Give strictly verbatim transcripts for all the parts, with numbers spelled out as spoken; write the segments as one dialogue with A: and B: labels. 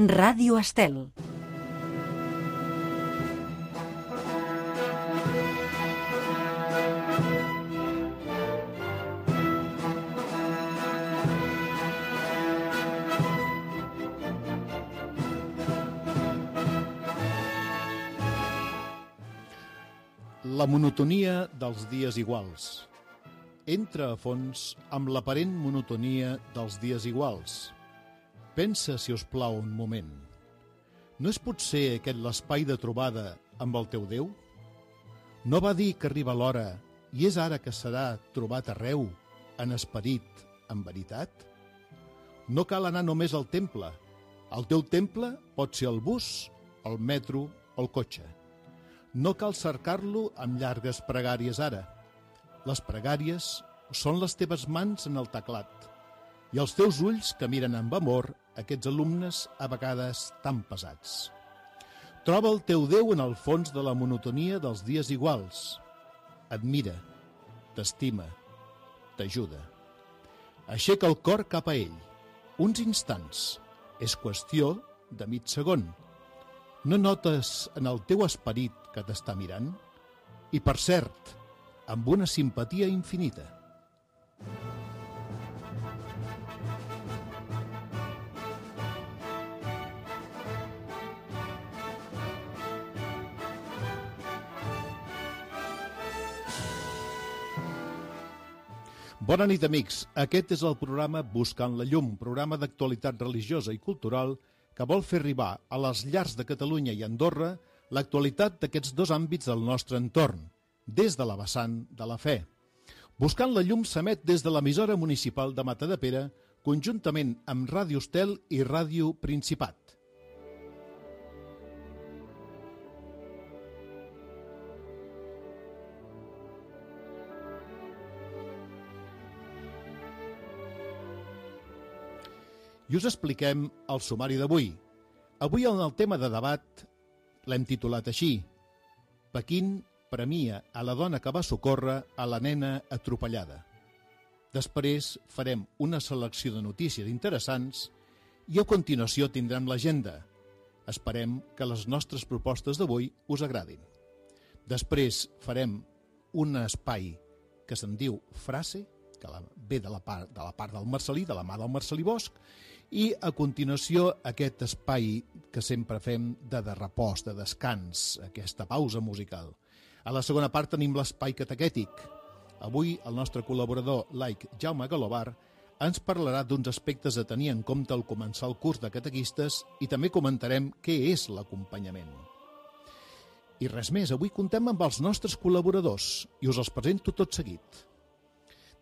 A: Ràdio Estel.
B: La monotonia dels dies iguals. Entra a fons amb l'aparent monotonia dels dies iguals. Pensa, si us plau, un moment. No és potser aquest l'espai de trobada amb el teu Déu? No va dir que arriba l'hora i és ara que serà trobat arreu, en esperit, en veritat? No cal anar només al temple. El teu temple pot ser el bus, el metro o el cotxe. No cal cercar-lo amb llargues pregàries ara. Les pregàries són les teves mans en el teclat i els teus ulls que miren amb amor aquests alumnes a vegades tan pesats. Troba el teu Déu en el fons de la monotonia dels dies iguals. Admira, t'estima, t'ajuda. Aixeca el cor cap a ell. Uns instants. És qüestió de mig segon. No notes en el teu esperit que t'està mirant? I, per cert, amb una simpatia infinita. Bona nit, amics. Aquest és el programa Buscant la Llum, programa d'actualitat religiosa i cultural que vol fer arribar a les llars de Catalunya i Andorra l'actualitat d'aquests dos àmbits del nostre entorn, des de la vessant de la fe. Buscant la Llum s'emet des de l'emissora municipal de Matadepera, conjuntament amb Ràdio Estel i Ràdio Principat. I us expliquem el sumari d'avui. Avui en el tema de debat l'hem titulat així: Pequín premia a la dona que va socórrer a la nena atropellada. Després farem una selecció de notícies interessants i a continuació tindrem l'agenda. Esperem que les nostres propostes d'avui us agradin. Després farem un espai que se'n diu Frase, que ve de la part, de la part del Marcelí, de la mà del Marcelí Bosch, i a continuació aquest espai que sempre fem de, de repòs, de descans, aquesta pausa musical. A la segona part tenim l'espai catequètic. Avui el nostre col·laborador laic Jaume Galobar ens parlarà d'uns aspectes a tenir en compte al començar el curs de catequistes i també comentarem què és l'acompanyament. I res més, avui contem amb els nostres col·laboradors i us els presento tot seguit.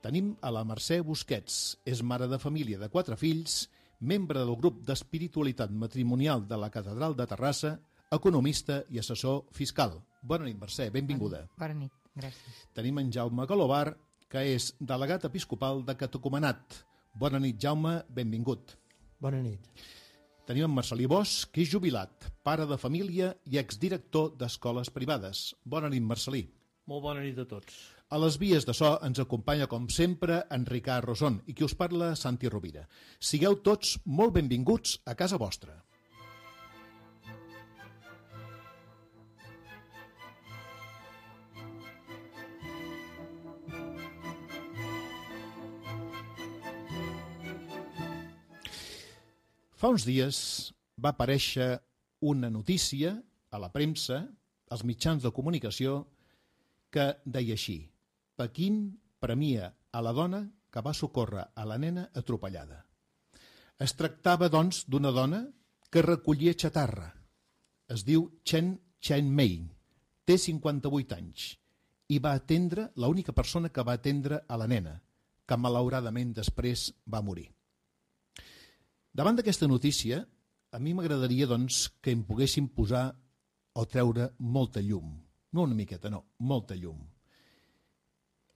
B: Tenim a la Mercè Busquets, és mare de família de quatre fills, membre del grup d'espiritualitat matrimonial de la Catedral de Terrassa, economista i assessor fiscal. Bona nit, Mercè, benvinguda.
C: Bona nit, gràcies.
B: Tenim en Jaume Galobar, que és delegat episcopal de Catecumenat. Bona nit, Jaume, benvingut.
D: Bona nit.
B: Tenim en Marcelí Bosch, que és jubilat, pare de família i exdirector d'escoles privades. Bona nit, Marcelí.
D: Molt bona nit a tots.
B: A les vies de so ens acompanya, com sempre, en Ricard Rosón i qui us parla, Santi Rovira. Sigueu tots molt benvinguts a casa vostra. Fa uns dies va aparèixer una notícia a la premsa, als mitjans de comunicació, que deia així: Pequín premia a la dona que va socórrer a la nena atropellada. Es tractava, doncs, d'una dona que recollia xatarra. Es diu Chen Chen-mei, té cinquanta-vuit anys i va atendre, l'única persona que va atendre a la nena, que malauradament després va morir. Davant d'aquesta notícia, a mi m'agradaria, doncs, que em poguessin posar o treure molta llum. No una miqueta, no, molta llum.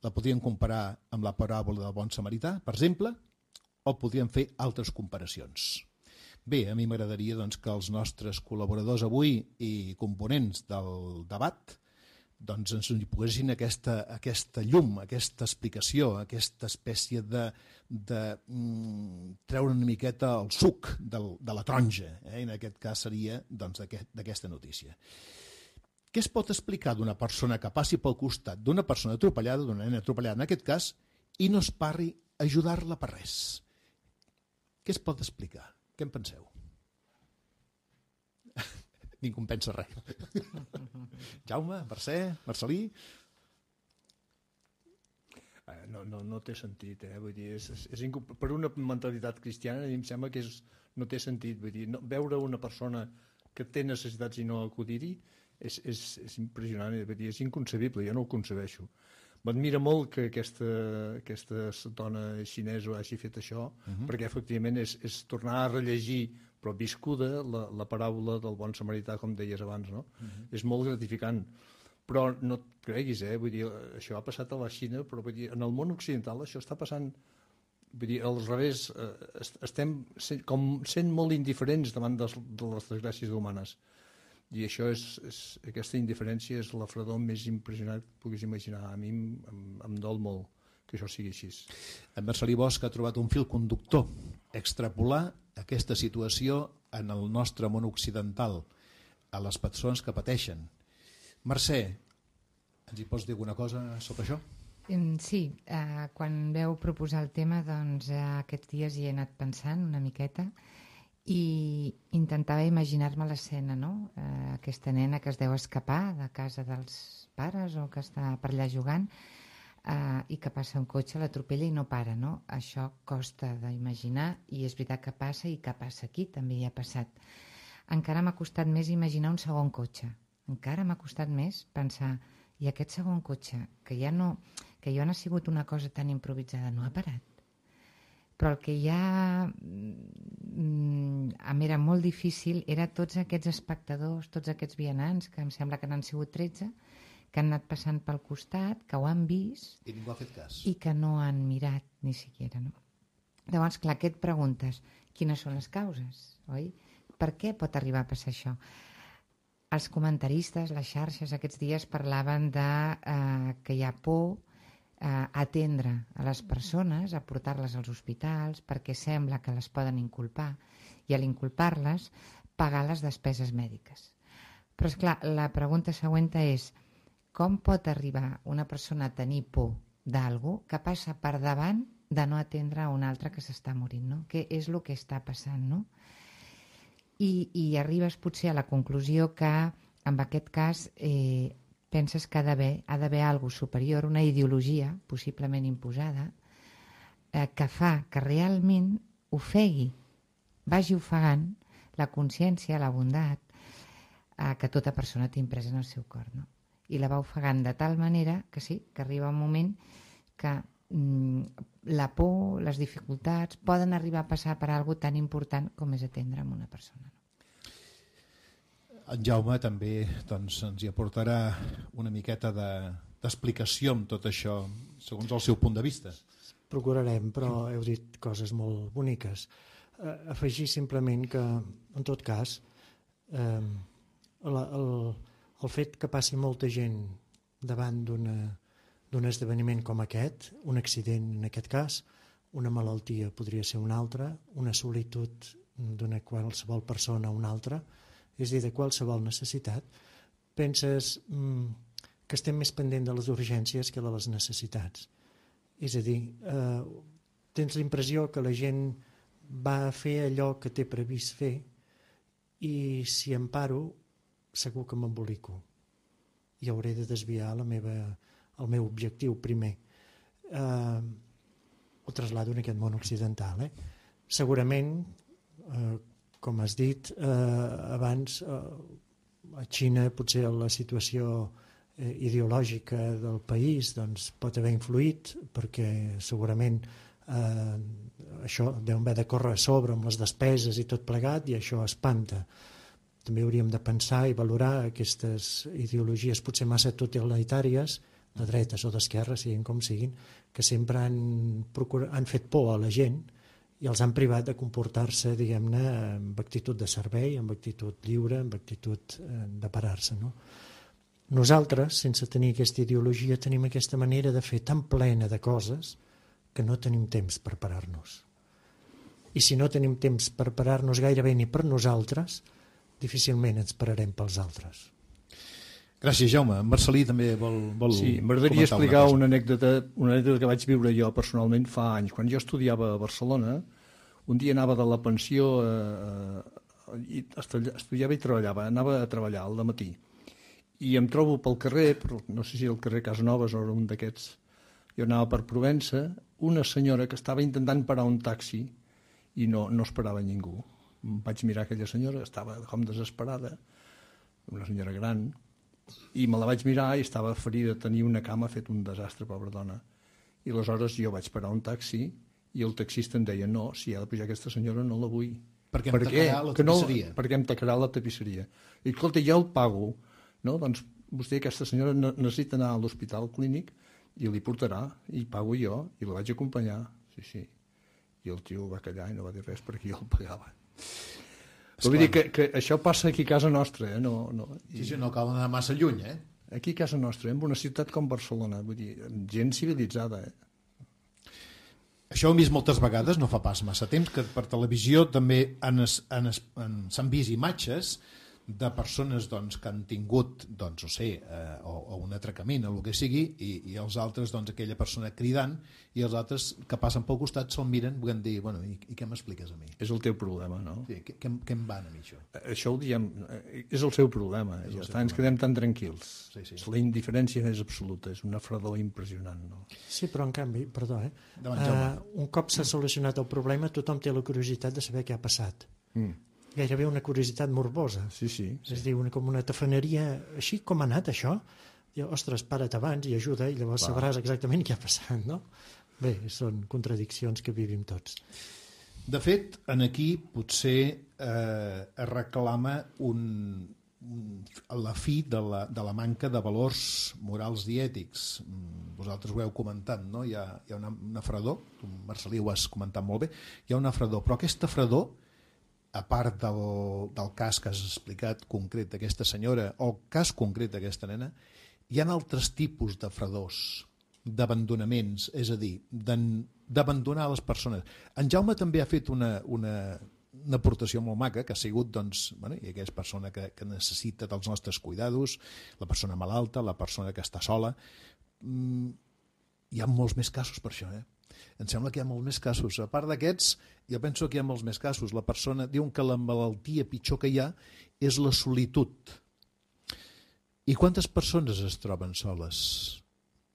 B: La podríem comparar amb la paràbola del bon samarità, per exemple, o podríem fer altres comparacions. Bé, a mi m'agradaria, doncs, que els nostres col·laboradors avui i components del debat doncs ens hi poguessin aquesta, aquesta llum, aquesta explicació, aquesta espècie de, de mm, treure una miqueta el suc del, de la taronja, eh? En aquest cas seria doncs, d'aquesta notícia. Què es pot explicar d'una persona que passi pel costat d'una persona atropellada, d'una nena atropellada en aquest cas, i no es parri a ajudar-la per res? Què es pot explicar? Què en penseu? Ningú en pensa res. Jaume, Mercè, Marcelí?
D: No, no, no té sentit, eh? Vull dir, és, és, és incom... per una mentalitat cristiana em sembla que és, no té sentit. Vull dir, no, veure una persona que té necessitats i no acudir-hi és, és, és impressionant, vull dir, és inconcebible, jo no ho concebeixo. M'admira molt que aquesta, aquesta dona xinesa hagi fet això, uh-huh. perquè efectivament és, és tornar a rellegir, però viscuda, la, la paraula del bon samarità, com deies abans, no? Uh-huh. És molt gratificant. Però no et creguis, eh? Vull dir, això ha passat a la Xina, però vull dir, en el món occidental això està passant, vull dir, al revés, eh, estem sent, com sent molt indiferents davant de, de les desgràcies humanes. I això és, és, aquesta indiferència és la fredor més impressionant que puguis imaginar. A mi em, em, em dol molt que això sigui així.
B: En Marcelí Bosch ha trobat un fil conductor, extrapolar aquesta situació en el nostre món occidental, a les persones que pateixen. Mercè, ens hi pots dir alguna cosa sobre això?
A: Sí, eh, quan veu proposar el tema, doncs eh, aquests dies hi he anat pensant una miqueta i intentava imaginar-me l'escena, no? Eh, aquesta nena que es deu escapar de casa dels pares o que està per allà jugant eh, i que passa un cotxe, l'atropella i no para, no? Això costa d'imaginar i és veritat que passa i que passa aquí, també hi ha passat. Encara m'ha costat més imaginar un segon cotxe, encara m'ha costat més pensar, i aquest segon cotxe, que ja no, que ja no ha sigut una cosa tan improvisada, no ha parat. Però el que ja em era molt difícil era tots aquests espectadors, tots aquests vianants, que em sembla que n'han sigut tretze, que han anat passant pel costat, que ho han vist
B: i ningú ha fet cas
A: i que no han mirat ni siquiera, no? Llavors, clar, què et preguntes? Quines són les causes, oi? Per què pot arribar a passar això? Els comentaristes, les xarxes, aquests dies parlaven de eh, que hi ha por a atendre a les persones, a portar-les als hospitals, perquè sembla que les poden inculpar i a l'inculpar-les pagar les despeses mèdiques. Però, esclar, la pregunta següent és com pot arribar una persona a tenir por d'algú que passa per davant de no atendre a un altre que s'està morint, no? Què és el que està passant, no? I, i arribes potser a la conclusió que en aquest cas eh, penses que ha d'haver ha d'haver alguna cosa superior, una ideologia possiblement imposada eh, que fa que realment ofegui, vagi ofegant la consciència, la bondat eh, que tota persona té impresa en el seu cor, no? I la va ofegant de tal manera que sí, que arriba un moment que mm, la por, les dificultats poden arribar a passar per algo tan important com és atendre a una persona, no?
B: En Jaume també doncs, ens hi aportarà una miqueta de, d'explicació amb tot això, segons el seu punt de vista.
C: Procurarem, però heu dit coses molt boniques. Eh, afegir simplement que, en tot cas, eh, la, el, el fet que passi molta gent davant d'una, d'un esdeveniment com aquest, un accident en aquest cas, una malaltia podria ser una altra, una solitud d'una qualsevol persona a una altra, és a dir, de qualsevol necessitat, penses mm, que estem més pendent de les urgències que de les necessitats. És a dir, eh, tens la impressió que la gent va a fer allò que té previst fer i si em paro segur que m'embolico i hauré de desviar la meva, el meu objectiu primer. Eh, ho traslado en aquest món occidental. Eh? Segurament, eh, com has dit eh, abans, eh, a Xina potser la situació eh, ideològica del país doncs, pot haver influït perquè segurament eh, això deu haver de córrer a sobre amb les despeses i tot plegat i això espanta. També hauríem de pensar i valorar aquestes ideologies potser massa totalitàries, de dretes o d'esquerres, siguin com siguin, que sempre han, procurat, han fet por a la gent i els han privat de comportar-se, diguem-ne, amb actitud de servei, amb actitud lliure, amb actitud eh, de parar-se, no? Nosaltres, sense tenir aquesta ideologia, tenim aquesta manera de fer tan plena de coses que no tenim temps per parar-nos. I si no tenim temps per parar-nos gairebé ni per nosaltres, difícilment ens pararem pels altres.
B: Gràcies, Jaume. Marcelí també vol, vol
D: sí, m'agradaria explicar una, una, anècdota, una anècdota que vaig viure jo personalment fa anys. Quan jo estudiava a Barcelona, un dia anava de la pensió, eh, i estudiava i treballava, anava a treballar al matí. I em trobo pel carrer, però no sé si el carrer Casanovas o un d'aquests, jo anava per Provença, una senyora que estava intentant parar un taxi i no, no esperava ningú. Vaig mirar aquella senyora, estava com desesperada, una senyora gran, i me la vaig mirar i estava ferida, tenia una cama, fet un desastre, pobra dona. I aleshores jo vaig parar un taxi i el taxista em deia, no, si ha de pujar aquesta senyora no la vull.
B: Perquè em tacarà la tapisseria.
D: No, perquè em tacarà la tapisseria. I escolta, ja el pago, no? Doncs vostè, aquesta senyora, necessita anar a l'hospital clínic i li portarà, i pago jo, i la vaig acompanyar. Sí, sí. I el tio va callar i no va dir res perquè jo el pagava. Però vull dir que, que això passa aquí a casa nostra, eh? No, no.
B: I... Sí, sí, no cal anar massa lluny, eh?
D: Aquí a casa nostra, en una ciutat com Barcelona, vull dir, gent civilitzada, eh?
B: Això ho hem vist moltes vegades, no fa pas massa temps, que per televisió també s'han vist imatges de persones doncs, que han tingut doncs, no sé, eh, o, o un atracament o el que sigui, i, i els altres, doncs, aquella persona cridant, i els altres que passen pel costat se'l miren i dir, bueno, i, i què m'expliques a mi?
D: És el teu problema, no?
B: Sí, què, què, què em van a mi això?
D: Això ho diem, és el seu problema, és ja està, ens quedem tan tranquils.
B: Sí, sí.
D: La indiferència és absoluta, és una fredor impressionant, no?
C: Sí, però en canvi, perdó, eh?
B: Davant,
C: uh, un cop s'ha solucionat el problema, tothom té la curiositat de saber què ha passat.
D: Mm.
C: Gairebé una curiositat morbosa.
D: Sí, sí. sí.
C: És a dir, una, com una tafaneria, així com ha anat això? Diu, ostres, para't abans i ajuda, i llavors Va. sabràs exactament què ha passat, no? Bé, són contradiccions que vivim tots.
B: De fet, en aquí potser eh, es reclama un, un, la fi de la, de la manca de valors morals i ètics. Vosaltres ho heu comentat, no? Hi ha, hi ha una, una fredor, tu, Marcelí, ho has comentat molt bé, hi ha una fredor, però aquesta fredor, a part del, del cas que has explicat concret d'aquesta senyora o el cas concret d'aquesta nena, hi ha altres tipus de fredors, d'abandonaments, és a dir, d'abandonar les persones. En Jaume també ha fet una, una, una aportació molt maca, que ha sigut, doncs, bueno, i aquesta persona que, que necessita dels nostres cuidados, la persona malalta, la persona que està sola. Mm, hi ha molts més casos per això, eh? Em sembla que hi ha molts més casos. A part d'aquests, jo penso que hi ha molts més casos. La persona diu que la malaltia pitjor que hi ha és la solitud. I quantes persones es troben soles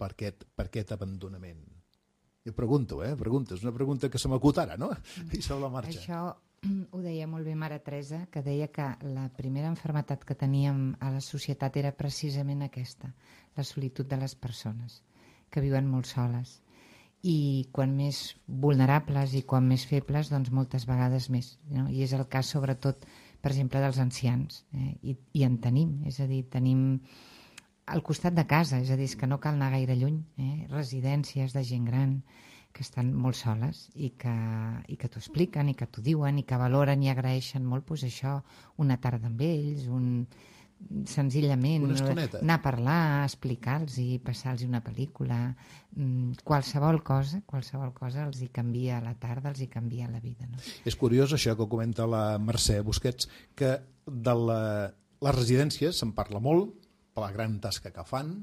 B: per aquest, per aquest abandonament? Jo pregunto, eh? Pregunto. És una pregunta que se m'acut ara, no? I sobre la marxa.
A: Això ho deia molt bé Mare Teresa, que deia que la primera malaltia que teníem a la societat era precisament aquesta, la solitud de les persones, que viuen molt soles. I quan més vulnerables i quan més febles, doncs moltes vegades més, no? I és el cas sobretot, per exemple, dels ancians, eh? I, i en tenim, és a dir, tenim al costat de casa, és a dir, és que no cal anar gaire lluny, eh? Residències de gent gran que estan molt soles i que, i que t'ho expliquen i que t'ho diuen i que valoren i agraeixen molt, doncs això, una tarda amb ells, un... senzillament anar a parlar, explicar-los i passar-los una pel·lícula, qualsevol cosa qualsevol cosa els hi canvia la tarda, els hi canvia la vida, no?
B: És curiós això que comenta la Mercè Busquets, que de la, les residències se'n parla molt per la gran tasca que fan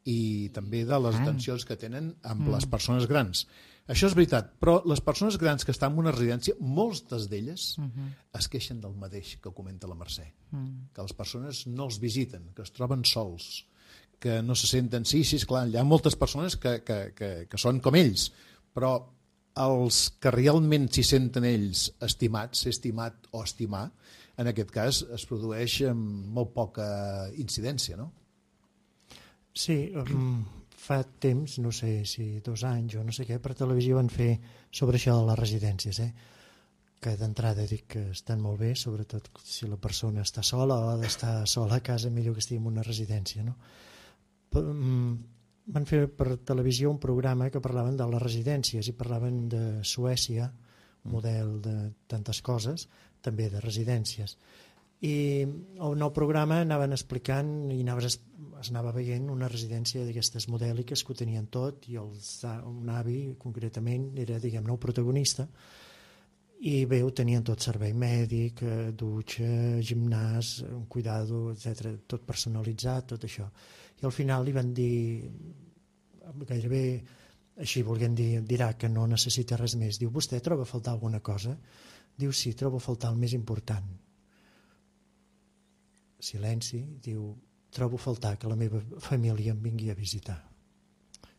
B: i també de les atencions que tenen amb mm. les persones grans. Això és veritat, però les persones grans que estan en una residència, moltes d'elles uh-huh. es queixen del mateix que comenta la Mercè, uh-huh. que les persones no els visiten, que es troben sols, que no se senten... Sí, sí, esclar, hi ha moltes persones que, que, que, que són com ells, però els que realment s'hi senten ells estimats, ser estimat o estimar, en aquest cas es produeix amb molt poca incidència, no?
C: Sí, um, fa temps, no sé si dos anys o no sé què, per televisió van fer sobre això de les residències, eh? Que d'entrada dic que estan molt bé, sobretot si la persona està sola o ha d'estar sola a casa, millor que estigui en una residència, no? Um, van fer per televisió un programa que parlaven de les residències i parlaven de Suècia, model de tantes coses, també de residències. I el nou programa anaven explicant i anaves, es anava veient una residència d'aquestes modèliques que ho tenien tot, i els, un avi concretament era, diguem-ne, el protagonista, i bé, ho tenien tot: servei mèdic, dutxa, gimnàs, un cuidado, etcètera, tot personalitzat, tot això. I al final li van dir, gairebé així volguem dir, dirà que no necessita res més. Diu, vostè troba a faltar alguna cosa? Diu, sí, trobo a faltar el més important. Silenci. Diu, trobo a faltar que la meva família em vingui a visitar.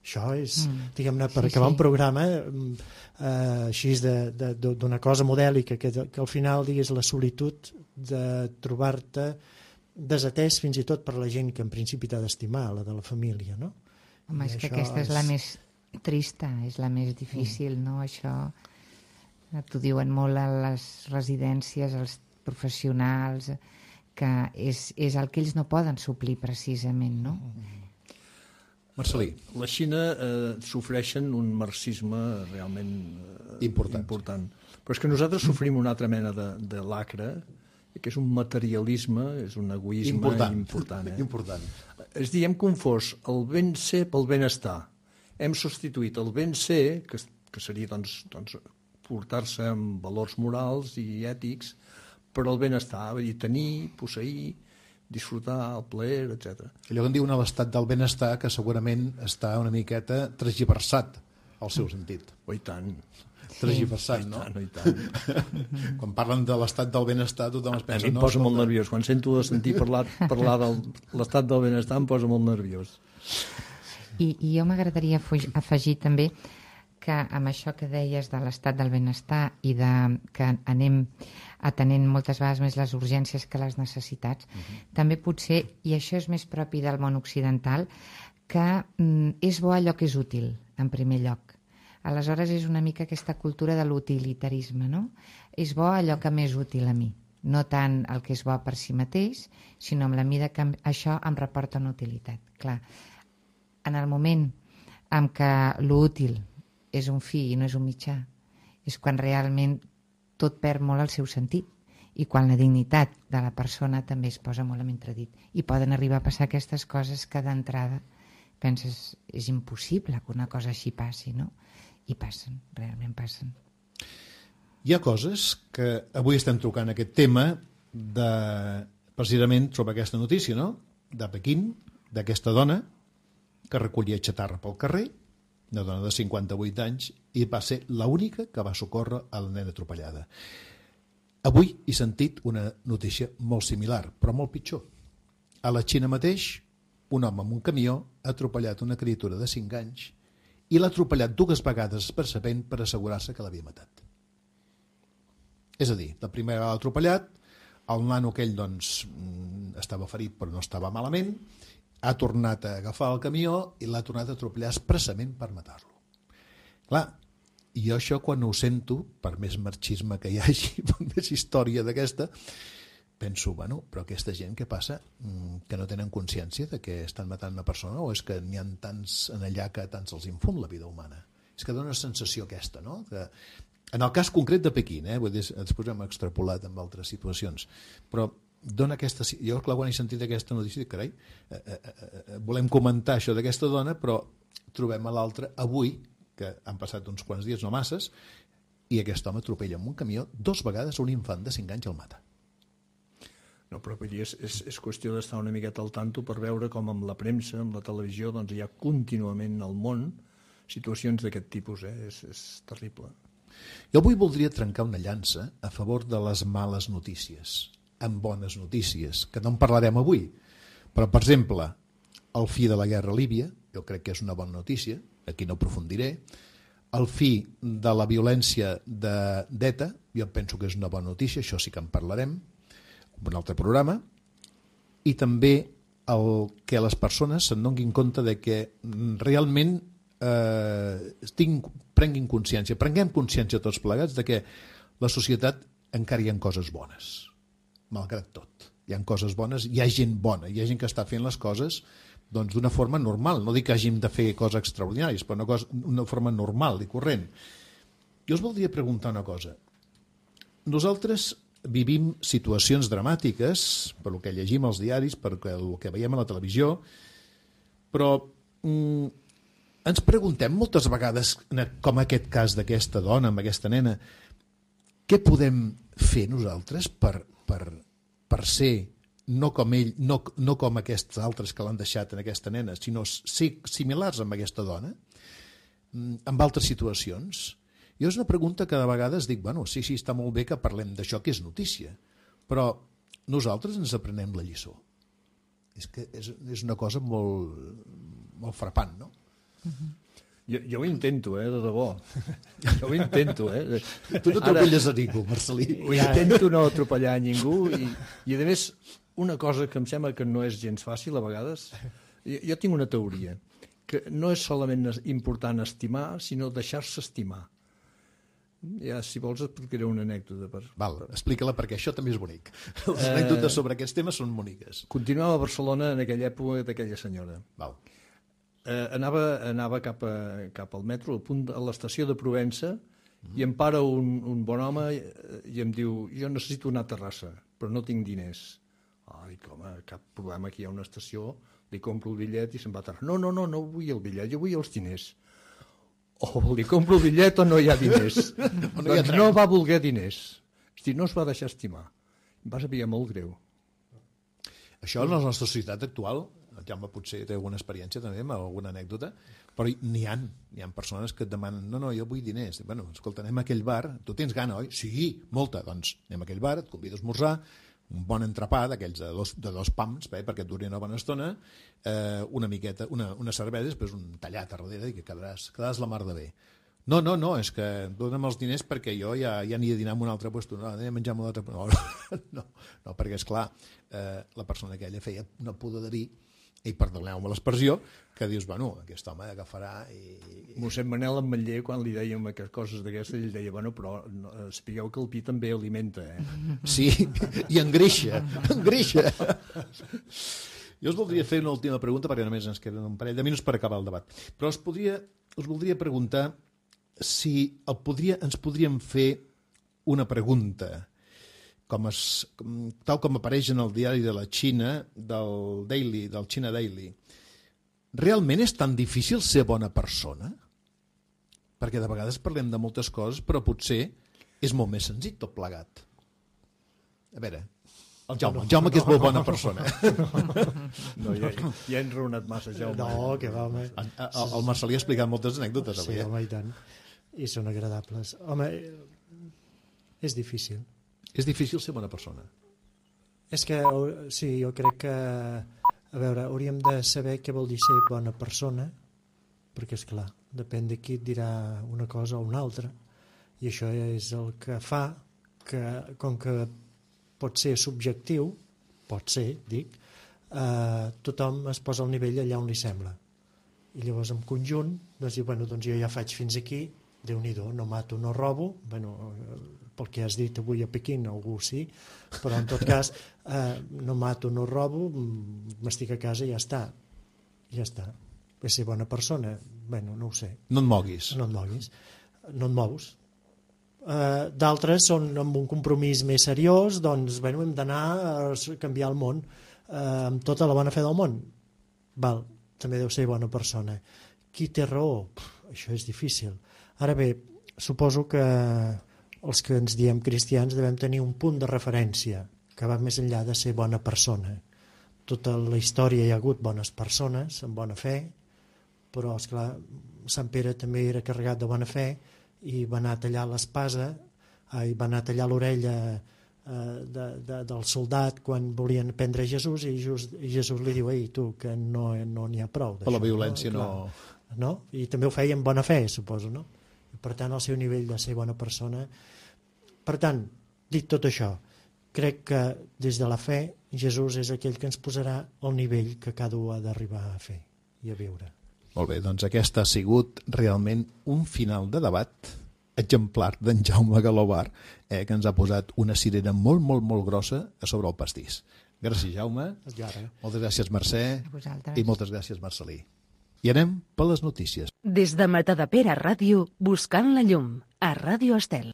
C: Això és, mm. diguem-ne, per sí, acabar sí. un programa eh, així d'una cosa modèlica, que, que al final digués la solitud de trobar-te desatès fins i tot per la gent que en principi t'ha d'estimar, la de la família, no?
A: Home, I és que aquesta és... és la més trista, és la més difícil, mm. no? Això t'ho diuen molt a les residències, els professionals, que és, és el que ells no poden suplir precisament, no?
B: Mm. Marcelí.
D: La Xina eh, sofreixen un marxisme realment eh,
B: important.
D: important. Però és que nosaltres sofrim una altra mena de, de lacre, que és un materialisme, és un egoisme
B: important.
D: important, eh?
B: important.
D: És dir, hem confós el ben ser pel benestar. Hem substituït el ben ser, que, que seria doncs, doncs, portar-se amb valors morals i ètics, per al benestar, vull dir, tenir, posseir, disfrutar, el plaer, etcètera.
B: Allò que en diuen a l'estat del benestar, que segurament està una miqueta transgiversat al seu sentit.
D: Oh, i tant.
B: Transgiversat,
D: sí.
B: no?
D: I tant, oh, i tant.
B: Quan parlen de l'estat del benestar, tothom es pensa...
D: A mi em posa no, molt de... nerviós. Quan sento de sentir parlar, parlar de l'estat del benestar em posa molt nerviós.
A: I, i jo m'agradaria afegir també que amb això que deies de l'estat del benestar i de que anem atenent moltes vegades més les urgències que les necessitats, uh-huh. també potser, i això és més propi del món occidental, que mm, és bo allò que és útil, en primer lloc. Aleshores és una mica aquesta cultura de l'utilitarisme, no? És bo allò que m'és útil a mi, no tant el que és bo per si mateix, sinó amb la mida que això em reporta una utilitat. Clar, en el moment en què l'útil és un fi i no és un mitjà, és quan realment tot perd molt el seu sentit i quan la dignitat de la persona també es posa molt en entredit. I poden arribar a passar aquestes coses que d'entrada penses, és impossible que una cosa així passi, no? I passen, realment passen.
B: Hi ha coses que avui estem trucant aquest tema de, precisament sobre aquesta notícia, no? De Pequín, d'aquesta dona que recollia xatarra pel carrer, una dona de cinquanta-vuit anys, i va ser l'única que va socórrer a la nena atropellada. Avui he sentit una notícia molt similar, però molt pitjor. A la Xina mateix, un home amb un camió ha atropellat una criatura de cinc anys i l'ha atropellat dues vegades expressament per assegurar-se que l'havia matat. És a dir, la primera vegada l'ha atropellat, el nano aquell doncs, estava ferit però no estava malament, ha tornat a agafar el camió i l'ha tornat a atropellar expressament per matar-lo. Clar, jo això quan ho sento, per més marxisme que hi hagi, per més història d'aquesta, penso, bueno, però aquesta gent què passa? Que no tenen consciència de que estan matant una persona, o és que n'hi ha tants en allà que tants els infund la vida humana? És que dona una sensació aquesta, no? Que, en el cas concret de Pequín, eh? Vull dir, després hem extrapolat en altres situacions, però dona aquesta... Jo, clar, quan he sentit aquesta notícia, dic, carai, eh, eh, eh, volem comentar això d'aquesta dona, però trobem a l'altra avui, que han passat uns quants dies, no masses, i aquest home atropella amb un camió dos vegades un infant de cinc anys i el mata.
D: No, però és, és, és qüestió d'estar una miqueta al tanto per veure com amb la premsa, amb la televisió, doncs hi ha contínuament al món situacions d'aquest tipus, eh? és, és terrible.
B: Jo avui voldria trencar una llança a favor de les males notícies, amb bones notícies, que no en parlarem avui. Però, per exemple, el fi de la guerra a Líbia, jo crec que és una bona notícia, aquí no aprofundiré. El fi de la violència d'ETA, jo penso que és una bona notícia, això sí que en parlarem, en un altre programa. I també el que les persones se'n donin compte de que realment eh, tinc, prenguin consciència, prenguem consciència tots plegats de que la societat encara hi ha coses bones, malgrat tot. Hi ha coses bones, hi ha gent bona, hi ha gent que està fent les coses doncs d'una forma normal. No dic que hàgim de fer coses extraordinàries, però una, cosa, una forma normal i corrent. Jo us voldria preguntar una cosa. Nosaltres vivim situacions dramàtiques, per el que llegim als diaris, per el que veiem a la televisió, però mm, ens preguntem moltes vegades, com aquest cas d'aquesta dona, amb aquesta nena, què podem fer nosaltres per, per, per ser no com ell, no, no com aquests altres que l'han deixat en aquesta nena, sinó ser similars amb aquesta dona, en altres situacions? Jo és una pregunta que de vegades dic, bueno, sí, sí, està molt bé que parlem d'això, que és notícia, però nosaltres ens aprenem la lliçó. És que és, és una cosa molt, molt frapant, no?
D: Uh-huh. Jo, jo ho intento, eh, de debò. Jo ho intento, eh.
B: Tu no atropelles a ningú, Marcelí.
D: Ho intento no atropellar a ningú i, i a més, una cosa que em sembla que no és gens fàcil a vegades, jo, jo tinc una teoria, que no és solament important estimar, sinó deixar-se estimar. Ja, si vols, explicaré una anècdota. Per...
B: Val, explica-la, perquè això també és bonic. Les eh... anècdotes sobre aquests temes són boniques.
D: Continuava a Barcelona en aquella època d'aquella senyora.
B: Val.
D: Eh, anava anava cap, a, cap al metro, al punt, a l'estació de Provença, mm. i em para un, un bon home i, i em diu, jo necessito anar a Terrassa, però no tinc diners. Ah, dic, home, cap problema, aquí hi ha una estació, li compro el bitllet i se'n va a Terrassa. No, no, no, no vull el bitllet, jo vull els diners. O li compro el bitllet o no hi ha diners. no, doncs no va voler diners. Hosti, no es va deixar estimar. Em va saber molt greu.
B: Això en la nostra societat actual, el Jaume potser té alguna experiència també, amb alguna anècdota, però n'hi ha, hi ha persones que et demanen, no, no, jo vull diners. Bueno, escolta, anem a aquell bar, tu tens gana, oi? Sí, molta. Doncs anem a aquell bar, et convido a esmorzar, un bon entrepà d'aquells de dos, de dos pams, bé, perquè et duri una bona estona, eh, una miqueta, una, una cervesa, després un tallat a darrere i que quedaràs, quedaràs la mar de bé. No, no, no, és que dona'm els diners perquè jo ja, ja aniré a dinar en un altre lloc, no, anem a menjar en un altre lloc. No, no, no, perquè, esclar, eh, la persona aquella feia una pudor de dir, i perdoneu-me l'expressió, que dius, bueno, aquest home agafarà i...
D: Mossèn Manel Ametller, quan li dèiem coses d'aquestes, ell deia, bueno, però no, sapigueu que el pi també alimenta, eh?
B: Sí, i engreixa, engreixa. Jo us voldria fer una última pregunta, perquè només ens queden un parell de minuts per acabar el debat, però us, podria, us voldria preguntar si el podria, ens podríem fer una pregunta, com es, tal com apareix en el diari de la Xina, del Daily, del China Daily. Realment és tan difícil ser bona persona? Perquè de vegades parlem de moltes coses, però potser és molt més senzill tot plegat. A veure, el Jaume, el Jaume que és molt bona persona.
D: No, ja, ja hem raonat massa, Jaume.
C: No, que va, home.
B: El, el, el Marcelí ha explicat moltes anècdotes avui.
C: Sí, home, i tant. I són agradables. Home, és difícil.
B: És difícil ser bona persona.
C: És que, sí, jo crec que, a veure, hauríem de saber què vol dir ser bona persona, perquè, és clar, depèn de qui et dirà una cosa o una altra, i això és el que fa que, com que pot ser subjectiu, pot ser, dic, eh, tothom es posa al nivell allà on li sembla. I llavors, en conjunt, doncs, bueno, doncs jo ja faig fins aquí, Déu-n'hi-do, no mato, no robo, bueno, pel que has dit avui a Pequín, algú sí, però en tot cas, eh, no mato, no robo, m'estic a casa i ja està. Ja està. És ser bona persona? Bueno, no ho sé.
B: No et moguis.
C: No et moguis. No et mous. Eh, d'altres són amb un compromís més seriós, doncs, bueno, hem d'anar a canviar el món eh, amb tota la bona fe del món. Val, també deu ser bona persona. Qui té raó? Pff, això és difícil. Ara bé, suposo que els que ens diem cristians devem tenir un punt de referència que va més enllà de ser bona persona. Tota la història hi ha hagut bones persones amb bona fe, però, esclar, Sant Pere també era carregat de bona fe i va anar a tallar l'espasa, i va anar a tallar l'orella eh, de, de, del soldat quan volien prendre Jesús, i Jesús, i Jesús li diu, ei, tu, que no n'hi no ha prou d'això.
B: Per la violència no...
C: no... no? I també ho feia amb bona fe, suposo, no? I per tant, el seu nivell de ser bona persona... Per tant, dit tot això, crec que des de la fe Jesús és aquell que ens posarà al nivell que cada un ha d'arribar a fer i a viure.
B: Molt bé, doncs aquest ha sigut realment un final de debat exemplar d'en Jaume Galobar, eh, que ens ha posat una cirera molt, molt, molt grossa a sobre el pastís. Gràcies, Jaume. Moltes gràcies, Mercè. I moltes gràcies, Marcelí. I anem per les notícies.
E: Des de Matadepera Ràdio, buscant la llum, a Ràdio Estel.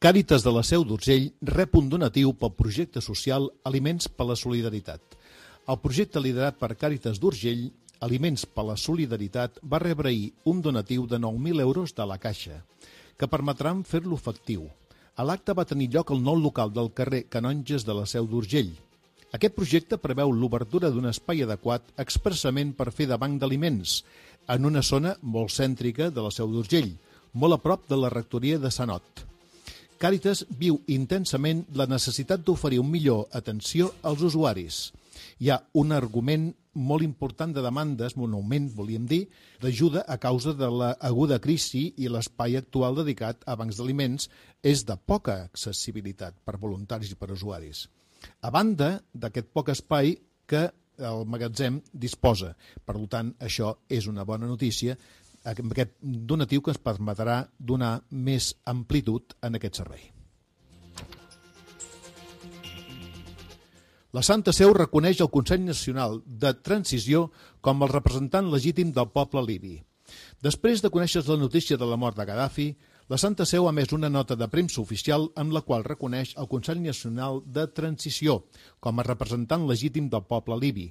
B: Càritas de la Seu d'Urgell rep un donatiu pel projecte social Aliments per la Solidaritat. El projecte liderat per Càritas d'Urgell, Aliments per la Solidaritat, va rebre ahir un donatiu de nou mil euros de la Caixa, que permetran fer-lo efectiu. A l'acte va tenir lloc el nou local del carrer Canonges de la Seu d'Urgell. Aquest projecte preveu l'obertura d'un espai adequat expressament per fer de banc d'aliments, en una zona molt cèntrica de la Seu d'Urgell, molt a prop de la rectoria de Sant Ot. Càritas viu intensament la necessitat d'oferir una millor atenció als usuaris. Hi ha un argument molt important de demandes, un augment, volíem dir, d'ajuda a causa de l'aguda crisi i l'espai actual dedicat a bancs d'aliments és de poca accessibilitat per voluntaris i per usuaris. A banda d'aquest poc espai que el magatzem disposa. Per tant, això és una bona notícia, aquest donatiu que ens permetrà donar més amplitud en aquest servei. La Santa Seu reconeix el Consell Nacional de Transició com el representant legítim del poble libi. Després de conèixer la notícia de la mort de Gaddafi, la Santa Seu ha emès una nota de premsa oficial amb la qual reconeix el Consell Nacional de Transició com a representant legítim del poble libi.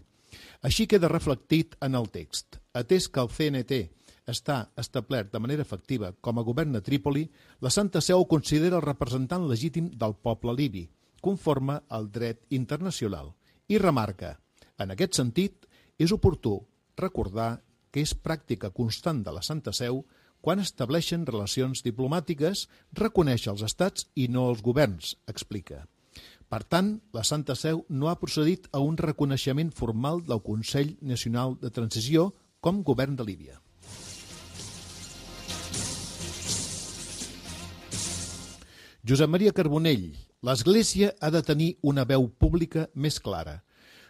B: Així queda reflectit en el text. Atès que el C N T està establert de manera efectiva com a govern a Trípoli, la Santa Seu ho considera el representant legítim del poble libi, conforme al dret internacional, i remarca, en aquest sentit, és oportú recordar que és pràctica constant de la Santa Seu quan estableixen relacions diplomàtiques, reconeix els estats i no els governs, explica. Per tant, la Santa Seu no ha procedit a un reconeixement formal del Consell Nacional de Transició com govern de Líbia. Josep Maria Carbonell, l'Església ha de tenir una veu pública més clara.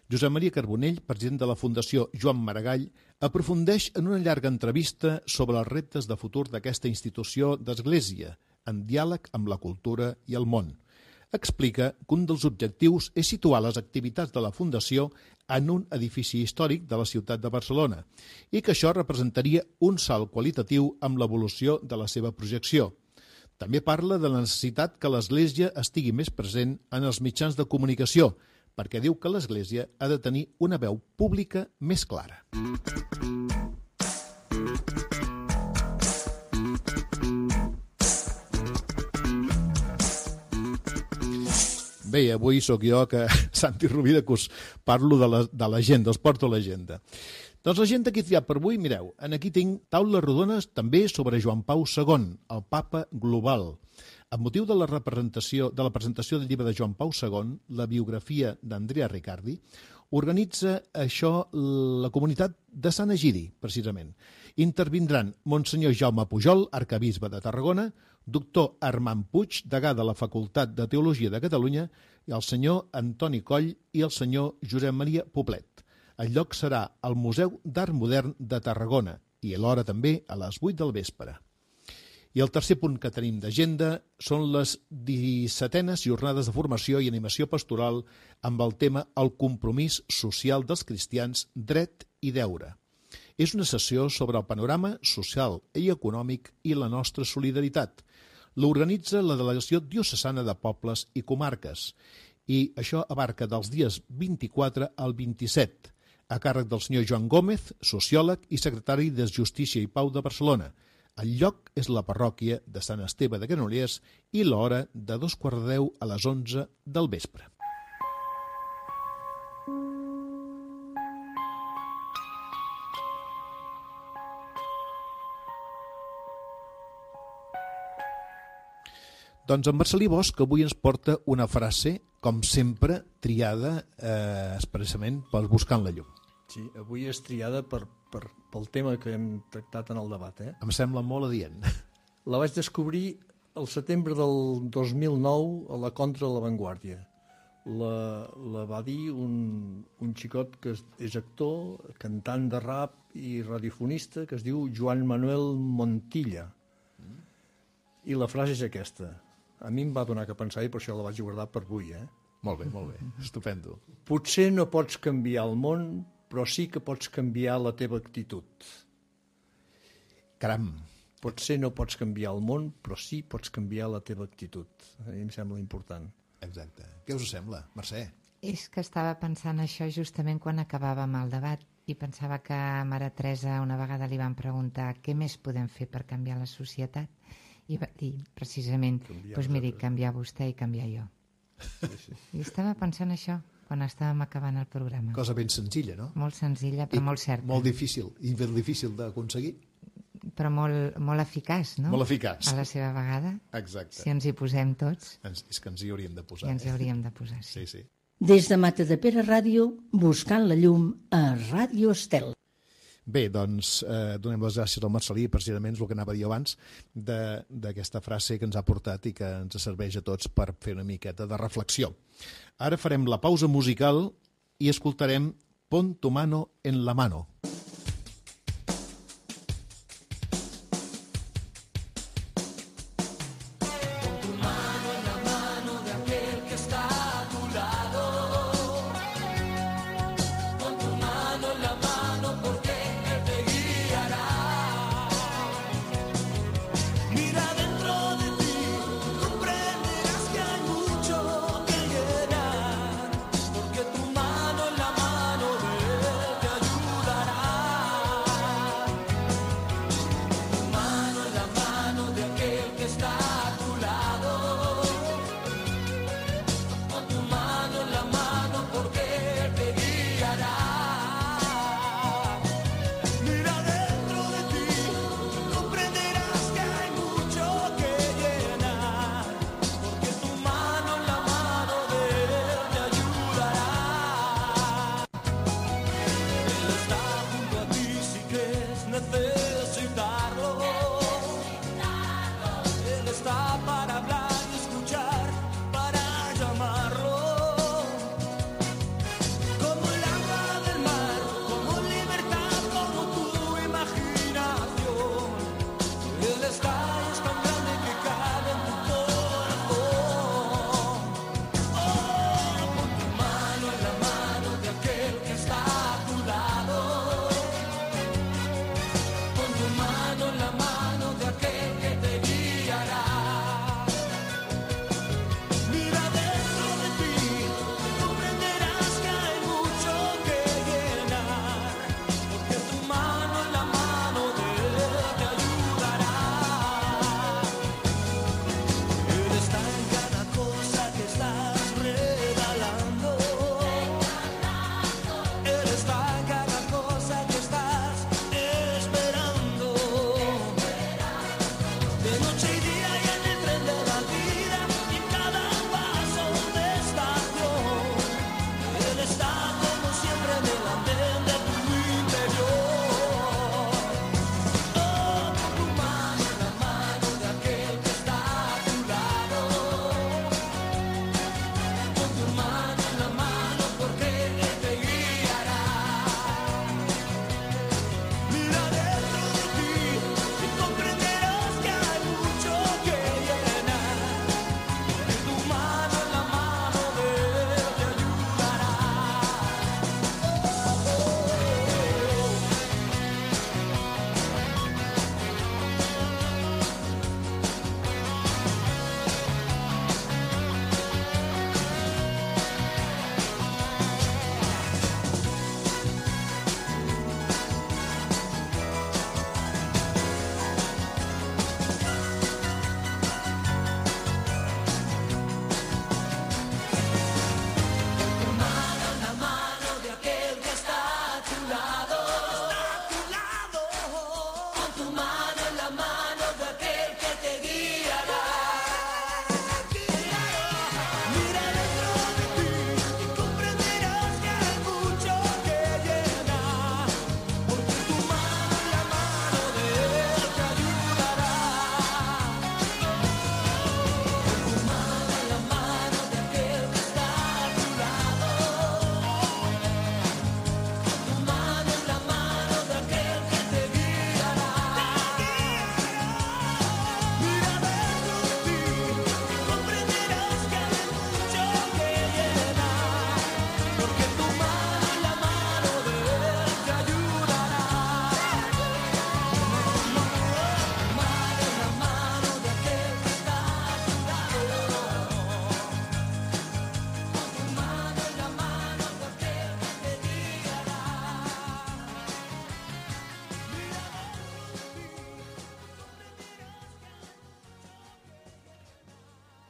B: Josep Maria Carbonell, president de la Fundació Joan Maragall, aprofundeix en una llarga entrevista sobre els reptes de futur d'aquesta institució d'Església, en diàleg amb la cultura i el món. Explica que un dels objectius és situar les activitats de la Fundació en un edifici històric de la ciutat de Barcelona i que això representaria un salt qualitatiu amb l'evolució de la seva projecció. També parla de la necessitat que l'Església estigui més present en els mitjans de comunicació, perquè diu que l'Església ha de tenir una veu pública més clara. Bé, avui sóc jo, que Santi Rovira, que us parlo de l'agenda, us porto l'agenda. Doncs l'agenda que he triat per avui, mireu, aquí tinc taules rodones també sobre Joan Pau segon, el papa global. Amb motiu de la representació de la presentació del llibre de Joan Pau segon, la biografia d'Andrea Riccardi, organitza això la comunitat de Sant Egidi, precisament. Intervindran Monsenyor Jaume Pujol, arcabisbe de Tarragona, doctor Armand Puig, degà de la Facultat de Teologia de Catalunya, i el senyor Antoni Coll i el senyor Josep Maria Poblet. El lloc serà al Museu d'Art Modern de Tarragona i alhora també a les vuit del vespre. I el tercer punt que tenim d'agenda són les dissetenes jornades de formació i animació pastoral amb el tema El compromís social dels cristians, dret i deure. És una sessió sobre el panorama social i econòmic i la nostra solidaritat. L'organitza la Delegació Diocesana de Pobles i Comarques i això abarca dels dies vint-i-quatre al vint-i-set, a càrrec del senyor Joan Gómez, sociòleg i secretari de Justícia i Pau de Barcelona. El lloc és la parròquia de Sant Esteve de Granollers i l'hora de dos quarts de deu a les onze del vespre. Doncs en Marcelí Bosch avui ens porta una frase, com sempre, triada eh, expressament pel Buscant la Llum.
D: Sí, avui és triada per, per, pel tema que hem tractat en el debat. Eh?
B: Em sembla molt adient.
D: La vaig descobrir el setembre del dos mil nou a la Contra de la Vanguardia. La, la va dir un, un xicot que és, és actor, cantant de rap i radiofonista, que es diu Joan Manuel Montilla. I la frase és aquesta. A mi em va donar que pensar i per això la vaig guardar per avui. Eh?
B: Molt bé, molt bé. Estupendo.
D: Potser no pots canviar el món, però sí que pots canviar la teva actitud.
B: Caram,
D: Potser no pots canviar el món, però sí pots canviar la teva actitud. A mi em sembla important.
B: Exacte. Què us sembla, Mercè?
A: És que estava pensant això justament quan acabàvem el debat i pensava que a Mare Teresa una vegada li van preguntar què més podem fer per canviar la societat i va dir precisament, doncs pues miri, canviar vostè i canviar jo.
D: Sí, sí.
A: I estava pensant això quan estàvem acabant el programa.
B: Cosa ben senzilla, no?
A: Molt senzilla, però
B: I
A: molt certa.
B: Molt difícil, i ben difícil d'aconseguir.
A: Però molt, molt eficaç, no?
B: Molt eficaç.
A: A la seva vegada.
B: Exacte.
A: Si ens hi posem tots.
B: Ens, és que ens hi hauríem de posar.
A: I ens hi
B: eh?
A: hauríem de posar, sí.
B: Sí, sí.
E: Des de Matadepera Ràdio, buscant la llum a Ràdio Estel.
B: Bé, doncs eh, donem les gràcies al Marcelí, precisament és el que anava a dir abans, d'aquesta frase que ens ha portat i que ens serveix a tots per fer una miqueta de reflexió. Ara farem la pausa musical i escoltarem Pon tu mano en la mano.
F: Porque tu mano en la mano de él te ayudará.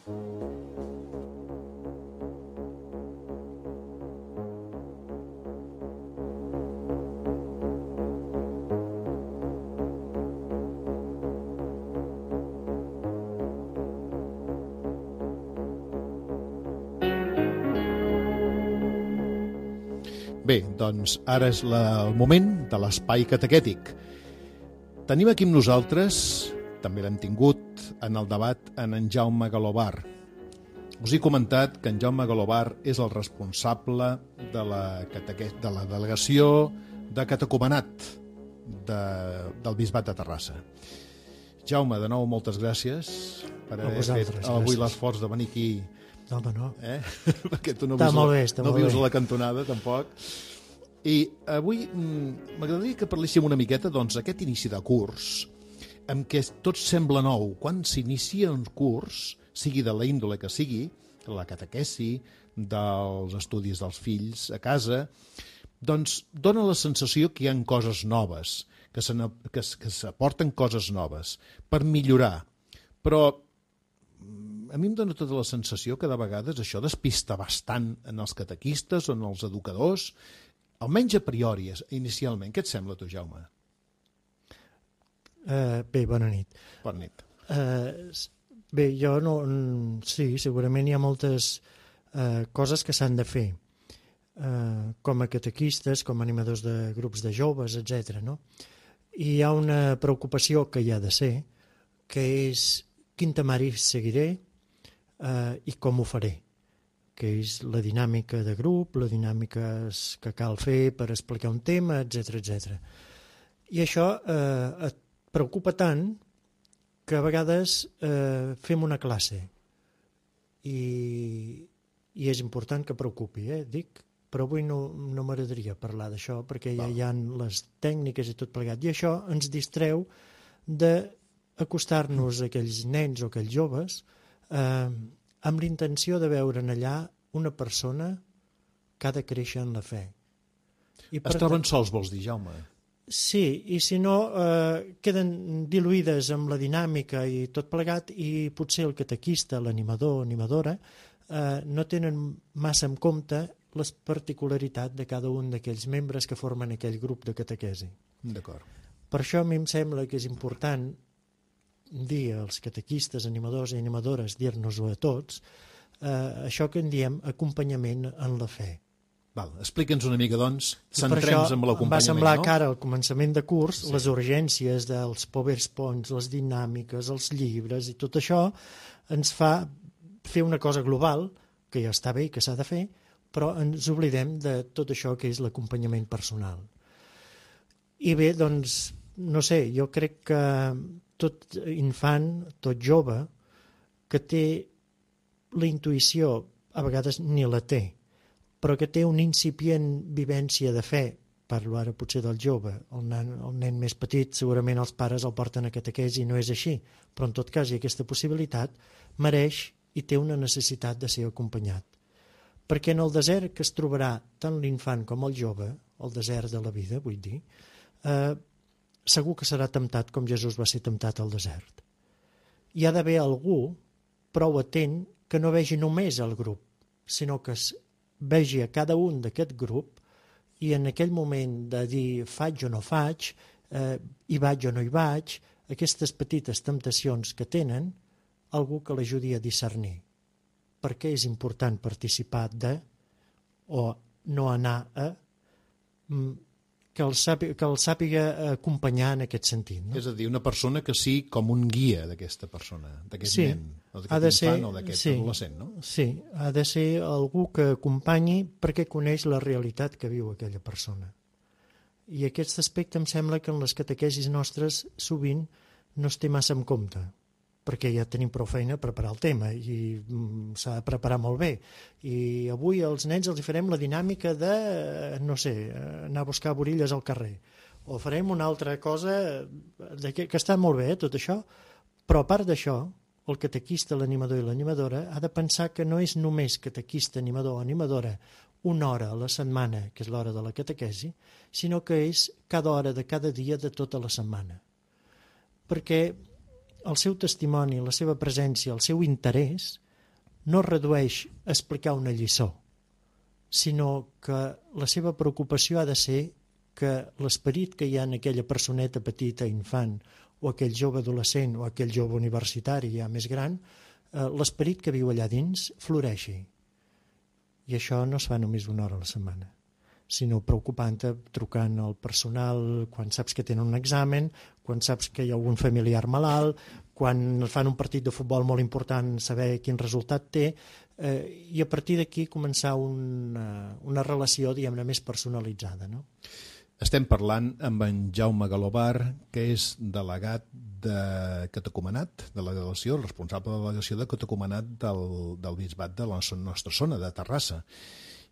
B: Bé, doncs ara és la, el moment de l'espai catequètic. Tenim aquí amb nosaltres, també l'hem tingut en el debat, en en Jaume Galobar. Us he comentat que en Jaume Galobar és el responsable de la, cateque... de la delegació de catecumenat de, del Bisbat de Terrassa. Jaume, de nou, moltes gràcies per haver fet avui l'esforç de venir aquí.
C: No, home, no.
B: Eh? Perquè tu no
C: està
B: vius,
C: molt
B: a,
C: bé, està
B: no
C: molt
B: vius
C: bé.
B: a la cantonada, tampoc. I avui mm, m'agradaria que parléssim una miqueta, doncs, aquest inici de curs, en què tot sembla nou. Quan s'inicia un curs, sigui de la índole que sigui, la catequesi, dels estudis dels fills a casa, doncs dona la sensació que hi ha coses noves, que s'aporten coses noves per millorar. Però a mi em dona tota la sensació que de vegades això despista bastant en els catequistes o en els educadors, almenys a priori, inicialment. Què et sembla, tu, Jaume?
C: Uh, bé, bona nit.
B: Bona nit.
C: Uh, bé, jo no... Sí, segurament hi ha moltes uh, coses que s'han de fer, uh, com a catequistes, com a animadors de grups de joves, etcètera. No? I hi ha una preocupació que hi ha de ser, que és quin temari seguiré uh, i com ho faré, que és la dinàmica de grup, la dinàmica que cal fer per explicar un tema, etcètera, etcètera. I això eh, et preocupa tant que a vegades eh, fem una classe i, i és important que preocupi, eh, dic, però avui no, no m'agradaria parlar d'això perquè ja hi ha les tècniques i tot plegat, i això ens distreu d'acostar-nos a aquells nens o aquells joves eh, amb l'intenció de veure en allà una persona que ha de créixer en la fe. I
B: es troben sols, vols dir, Jaume?
C: Sí, i si no, eh, queden diluïdes amb la dinàmica i tot plegat, i potser el catequista, l'animador, animadora, eh, no tenen massa en compte les particularitats de cada un d'aquells membres que formen aquell grup de catequesi.
B: D'acord.
C: Per això a mi em sembla que és important dir als catequistes, animadors i animadores, dir-nos-ho a tots, eh, això que en diem acompanyament en la fe.
B: Val, explica'ns una mica, doncs,
C: centrem-nos
B: en l'acompanyament.
C: Em va semblar
B: no?
C: que ara, al començament de curs,
B: sí.
C: les urgències dels PowerPoints, les dinàmiques, els llibres i tot això ens fa fer una cosa global, que ja està bé i que s'ha de fer, però ens oblidem de tot això que és l'acompanyament personal. I bé, doncs, no sé, jo crec que tot infant, tot jove, que té la intuïció, a vegades ni la té, però que té una incipient vivència de fe, parlo ara potser del jove, el nen, el nen més petit, segurament els pares el porten a catequesi i no és així, però en tot cas hi ha aquesta possibilitat, mereix i té una necessitat de ser acompanyat. Perquè en el desert que es trobarà tant l'infant com el jove, el desert de la vida, vull dir, eh, segur que serà temptat com Jesús va ser temptat al desert. Hi ha d'haver algú prou atent que no vegi només el grup, sinó que es vegi a cada un d'aquest grup i en aquell moment de dir faig o no faig, eh, hi vaig o no hi vaig, aquestes petites temptacions que tenen, algú que l'ajudi a discernir. Per què és important participar de o no anar a que el sàpiga, que el sàpiga acompanyar en aquest sentit. No?
B: És a dir, una persona que sigui com un guia d'aquesta persona, d'aquest
C: sí,
B: nen, o d'aquest infant o d'aquest
C: sí,
B: adolescent, no?
C: Sí, ha de ser algú que acompanyi perquè coneix la realitat que viu aquella persona. I aquest aspecte em sembla que en les catequesis nostres sovint no es té massa en compte, perquè ja tenim prou feina a preparar el tema i mm, s'ha de preparar molt bé. I avui als nens els farem la dinàmica de, no sé, anar a buscar borilles al carrer. O farem una altra cosa de que, que està molt bé, eh, tot això, però a part d'això, el catequista, l'animador i l'animadora ha de pensar que no és només catequista, animador o animadora una hora a la setmana, que és l'hora de la catequesi, sinó que és cada hora de cada dia de tota la setmana. Perquè el seu testimoni, la seva presència, el seu interès no redueix a explicar una lliçó, sinó que la seva preocupació ha de ser que l'esperit que hi ha en aquella personeta petita, infant, o aquell jove adolescent, o aquell jove universitari ja més gran, eh, l'esperit que viu allà dins floreixi. I això no es fa només una hora a la setmana, sinó preocupant-te, trucant al personal quan saps que tenen un examen, quan saps que hi ha algun familiar malalt, quan fan un partit de futbol molt important, saber quin resultat té, eh, i a partir d'aquí començar una, una relació, diguem-ne, més personalitzada, no?
B: Estem parlant amb en Jaume Galobar, que és delegat de Catecumenat, de la delegació, el responsable de la delegació de Catecumenat del, del bisbat de la nostra zona, de Terrassa.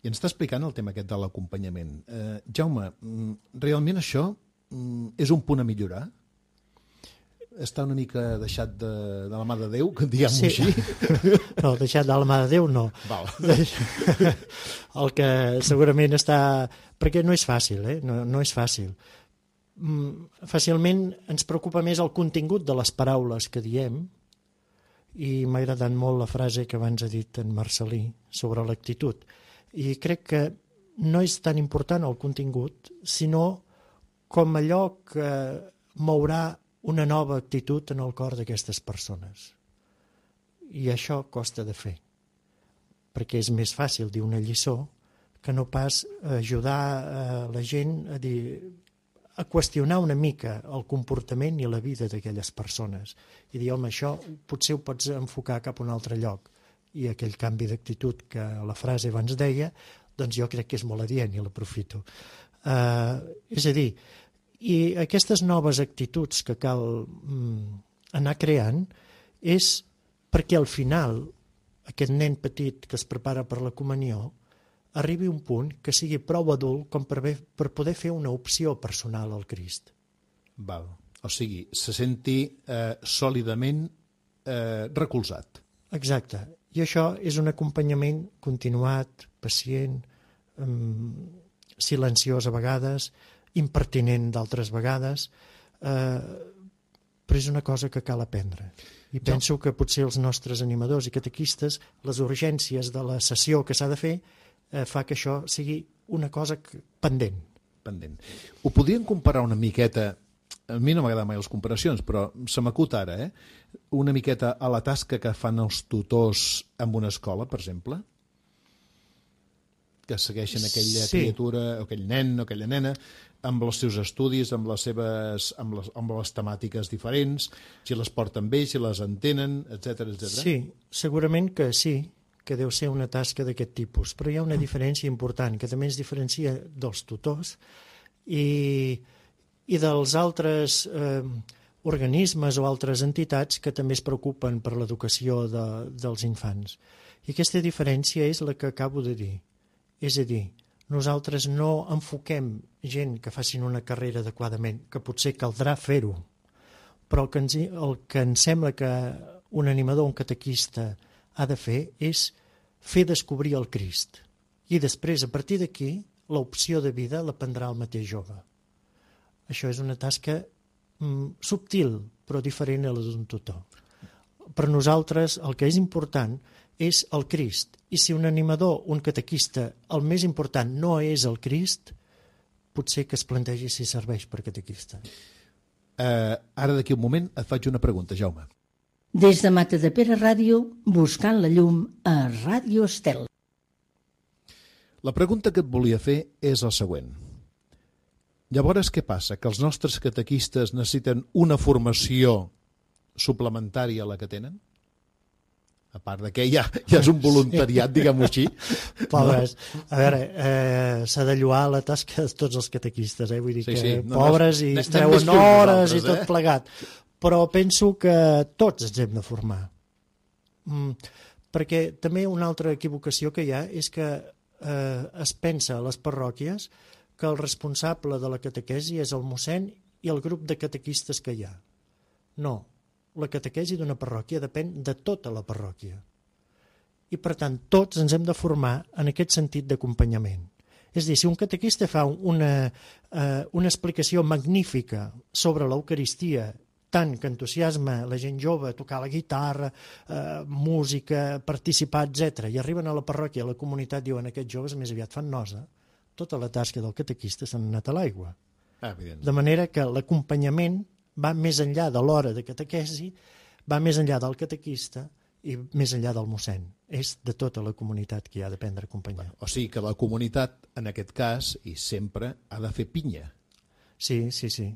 B: I ens està explicant el tema aquest de l'acompanyament. Eh, Jaume, realment això és un punt a millorar? Està una mica deixat de, de la mà de Déu, diguem-ho sí. així?
C: No, deixat de la mà de Déu no.
B: Val.
C: El que segurament està... Perquè no és fàcil, eh? No, no és fàcil. Fàcilment ens preocupa més el contingut de les paraules que diem, i m'ha agradat molt la frase que abans ha dit en Marcelí sobre l'actitud. I crec que no és tan important el contingut, sinó com allò que mourà una nova actitud en el cor d'aquestes persones. I això costa de fer, perquè és més fàcil dir una lliçó que no pas ajudar a la gent a, dir, a qüestionar una mica el comportament i la vida d'aquelles persones. I dir, home, això potser ho pots enfocar cap a un altre lloc. I aquell canvi d'actitud que la frase abans deia, doncs jo crec que és molt adient i l'aprofito. Uh, és a dir, i aquestes noves actituds que cal mm, anar creant és perquè al final aquest nen petit que es prepara per la comunió arribi a un punt que sigui prou adult com per, per poder fer una opció personal al Crist.
B: Val. O sigui, se senti eh, sòlidament eh, recolzat.
C: Exacte. I això és un acompanyament continuat, pacient, eh, silenciós a vegades, impertinent d'altres vegades, eh, però és una cosa que cal aprendre. I penso que potser els nostres animadors i catequistes, les urgències de la sessió que s'ha de fer, eh, fa que això sigui una cosa pendent.
B: Pendent. Ho podríem comparar una miqueta, a mi no m'agraden mai les comparacions, però se m'acut ara, eh? una miqueta a la tasca que fan els tutors en una escola, per exemple, que segueixen aquella
C: sí.
B: criatura, o aquell nen o aquella nena, amb els seus estudis, amb les seves amb les, amb les temàtiques diferents, si les porten bé, si les entenen, etcètera, etcètera.
C: Sí, segurament que sí, que deu ser una tasca d'aquest tipus, però hi ha una diferència important, que també es diferencia dels tutors i, i dels altres eh, organismes o altres entitats que també es preocupen per l'educació de, dels infants. I aquesta diferència és la que acabo de dir. És a dir, nosaltres no enfoquem gent que facin una carrera adequadament, que potser caldrà fer-ho, però el que, ens, el que ens sembla que un animador, un catequista ha de fer és fer descobrir el Crist. I després, a partir d'aquí, l'opció de vida la prendrà el mateix jove. Això és una tasca mm, subtil, però diferent a la d'un tutor. Per nosaltres el que és important és el Crist. I si un animador, un catequista, el més important no és el Crist, potser que es plantegi si serveix per catequista.
B: Uh, ara d'aquí un moment et faig una pregunta, Jaume.
E: Des de Matadepera Ràdio, buscant la llum a Ràdio Estel.
B: La pregunta que et volia fer és la següent. Llavors, què passa? Que els nostres catequistes necessiten una formació suplementària a la que tenen? A part de que ja, ja és un voluntariat, sí. diguem-ho així.
C: Pobres. No? A veure, eh, s'ha de lloar la tasca de tots els catequistes, eh? Vull dir
B: sí,
C: que
B: sí. No,
C: pobres
B: no,
C: i es treuen hores i tot eh? plegat. Però penso que tots ens hem de formar. Mm, perquè també una altra equivocació que hi ha és que eh, es pensa a les parròquies que el responsable de la catequesi és el mossèn i el grup de catequistes que hi ha. No, la catequesi d'una parròquia depèn de tota la parròquia. I, per tant, tots ens hem de formar en aquest sentit d'acompanyament. És a dir, si un catequista fa una, eh, una explicació magnífica sobre l'Eucaristia tant que entusiasma la gent jove a tocar la guitarra, eh, música, participar, etcètera, i arriben a la parròquia, a la comunitat, diuen aquests joves més aviat fan nosa, tota la tasca del catequista s'ha anat a l'aigua.
B: Ah,
C: de manera que l'acompanyament va més enllà de l'hora de catequesi, va més enllà del catequista i més enllà del mossèn. És de tota la comunitat que hi ha d'aprendre a acompanyar.
B: O sigui que la comunitat, en aquest cas, i sempre, ha de fer pinya.
C: Sí, sí, sí.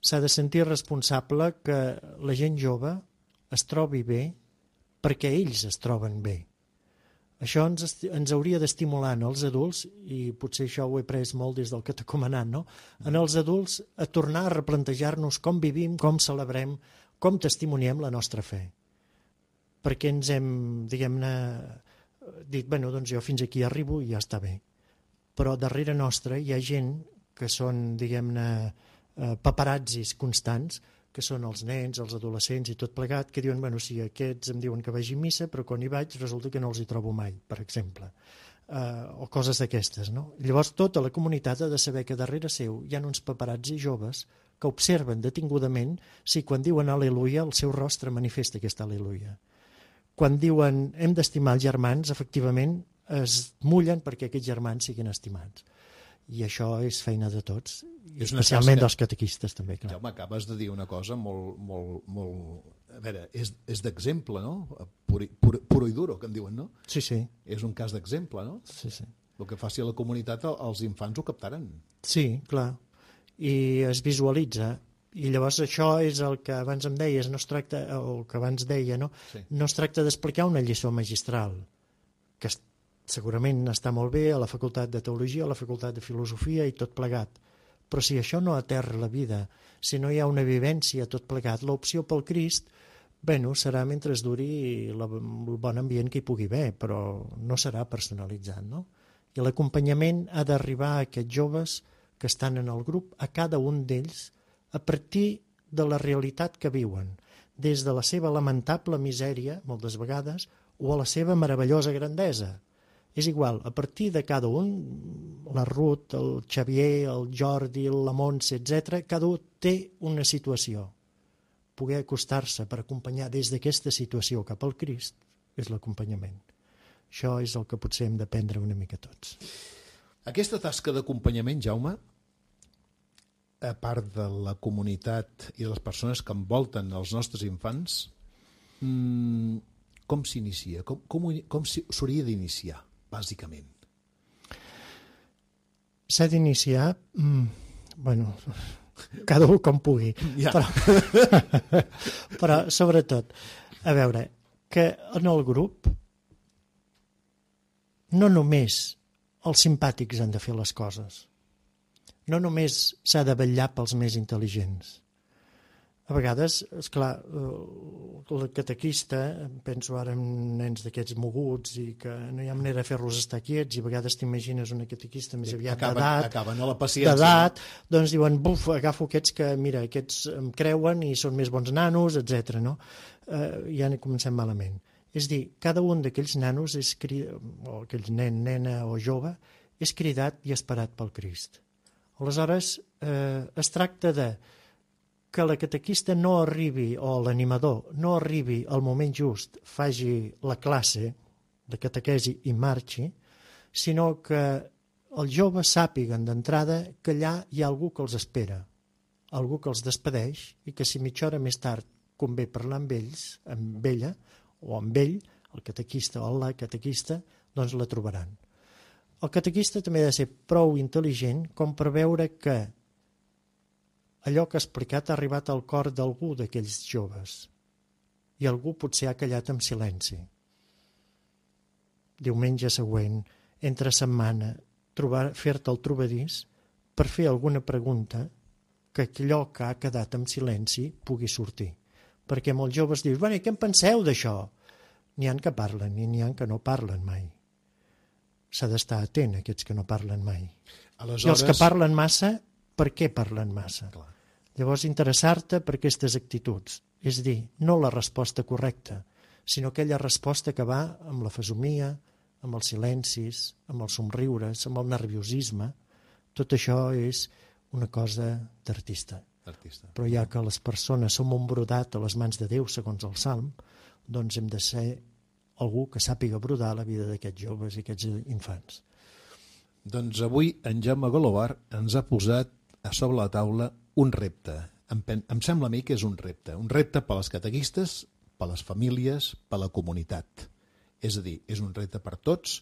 C: S'ha de sentir responsable que la gent jove es trobi bé perquè ells es troben bé. Això ens, ens hauria d'estimular en els adults, i potser això ho he pres molt des del catecomenat, no? En els adults a tornar a replantejar-nos com vivim, com celebrem, com testimoniem la nostra fe. Perquè ens hem, diguem-ne, dit, bueno, doncs jo fins aquí arribo i ja està bé. Però darrere nostra hi ha gent que són, diguem-ne, eh, paparazzis constants, que són els nens, els adolescents i tot plegat, que diuen, bueno, sí, aquests em diuen que vagi a missa, però quan hi vaig resulta que no els hi trobo mai, per exemple. Eh, o coses d'aquestes, no? Llavors tota la comunitat ha de saber que darrere seu hi ha uns paparazzis joves que observen detingudament si quan diuen al·leluia el seu rostre manifesta aquesta al·leluia. Quan diuen hem d'estimar els germans, efectivament es mullen perquè aquests germans siguin estimats. I això és feina de tots, i especialment dels catequistes també. Clar.
B: Ja m'acabes de dir una cosa molt... molt, molt... A veure, és, és d'exemple, no? Puro, puro, puro i duro, que en diuen, no?
C: Sí, sí.
B: És un cas d'exemple, no?
C: Sí, sí.
B: El que faci a la comunitat, els infants ho captaran.
C: Sí, clar. I es visualitza. I llavors això és el que abans em deies, no es tracta, o el que abans deia, no? Sí. No es tracta d'explicar una lliçó magistral, que segurament està molt bé a la facultat de teologia, a la facultat de filosofia i tot plegat. Però si això no aterra la vida, si no hi ha una vivència tot plegat, l'opció pel Crist, bueno, serà mentre es duri la, el bon ambient que hi pugui haver, però no serà personalitzat, no? I l'acompanyament ha d'arribar a aquests joves que estan en el grup, a cada un d'ells, a partir de la realitat que viuen, des de la seva lamentable misèria, moltes vegades, o a la seva meravellosa grandesa. És igual, a partir de cada un, la Ruth, el Xavier, el Jordi, la Montse, etcètera, cada un té una situació. Poder acostar-se per acompanyar des d'aquesta situació cap al Crist és l'acompanyament. Això és el que potser hem d'aprendre una mica tots.
B: Aquesta tasca d'acompanyament, Jaume, a part de la comunitat i de les persones que envolten els nostres infants, mmm, com s'inicia? Com, com, com s'hauria d'iniciar? Bàsicament.
C: S'ha d'iniciar, mmm, bueno, cada un com pugui, ja. però, però sobretot, a veure, que en el grup no només els simpàtics han de fer les coses, no només s'ha de vetllar pels més intel·ligents. A vegades, esclar, el catequista, penso ara en nens d'aquests moguts i que no hi ha manera de fer-los estar quiets, i a vegades t'imagines una catequista més aviat d'edat,
B: acaben a la paciència,
C: d'edat, doncs diuen, buf, agafo aquests que, mira, aquests em creuen i són més bons nanos, etcètera. No? Eh, ja comencem malament. És dir, cada un d'aquells nanos, és cridat, o aquells nen, nena o jove, és cridat i esperat pel Crist. Aleshores, eh, es tracta de que la catequista no arribi, o l'animador no arribi al moment just, faci la classe de catequesi i marxi, sinó que els joves sàpiguen d'entrada que allà hi ha algú que els espera, algú que els despedeix i que si mitja hora més tard convé parlar amb ells, amb ella o amb ell, el catequista o la catequista, doncs la trobaran. El catequista també ha de ser prou intel·ligent com per veure que allò que ha explicat ha arribat al cor d'algú d'aquells joves i algú potser ha callat en silenci. Diumenge següent, entre setmana, fer-te el trobadís per fer alguna pregunta que allò que ha quedat en silenci pugui sortir. Perquè molts joves dius, bueno, i què en penseu d'això? N'hi ha que parlen i n'hi ha que no parlen mai. S'ha d'estar atent a aquests que no parlen mai. Aleshores... I els que parlen massa, per què parlen massa? Clar. Llavors, interessar-te per aquestes actituds. És dir, no la resposta correcta, sinó aquella resposta que va amb la fesomia, amb els silencis, amb els somriures, amb el nerviosisme. Tot això és una cosa d'artista.
B: Artista.
C: Però ja que les persones som un brodat a les mans de Déu, segons el Salm, doncs hem de ser algú que sàpiga brodar la vida d'aquests joves i aquests infants.
B: Doncs avui en Jaume Golobar ens ha posat a sobre la taula un repte. Em, pen- em sembla a mi que és un repte. Un repte per als catequistes, per les famílies, per la comunitat. És a dir, és un repte per tots,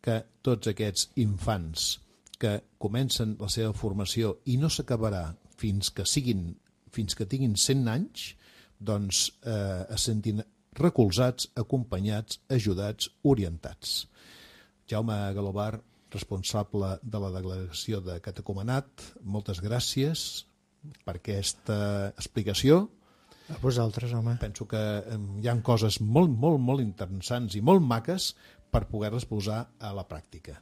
B: que tots aquests infants que comencen la seva formació i no s'acabarà fins que siguin, fins que tinguin cent anys, doncs eh, es sentin recolzats, acompanyats, ajudats, orientats. Jaume Golobar, responsable de la delegació de Catecumenat, moltes gràcies per aquesta explicació.
C: A vosaltres, home.
B: Penso que eh, hi ha coses molt, molt, molt interessants i molt maques per poder-les posar a la pràctica.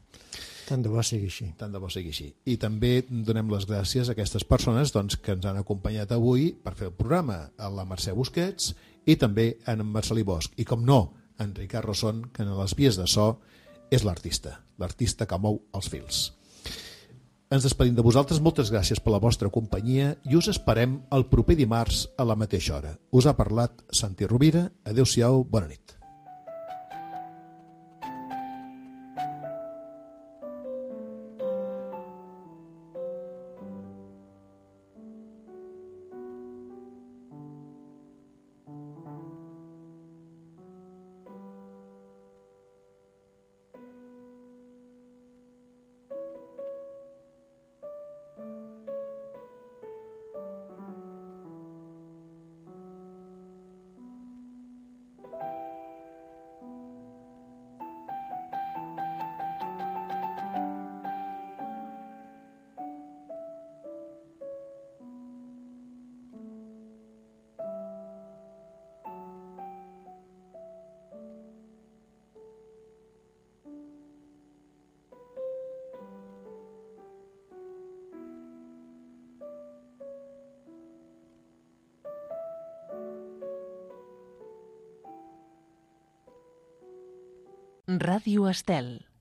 C: Tant de bo sigui així.
B: Tant de bo sigui així. I també donem les gràcies a aquestes persones doncs, que ens han acompanyat avui per fer el programa, a la Mercè Busquets i també en Marcelí Bosch. I com no, en Ricard Rosson, que en les vies de so és l'artista, l'artista que mou els fils. Ens despedim de vosaltres, moltes gràcies per la vostra companyia i us esperem el proper dimarts a la mateixa hora. Us ha parlat Santi Rovira, adeu-siau, bona nit.
F: Ràdio Estel.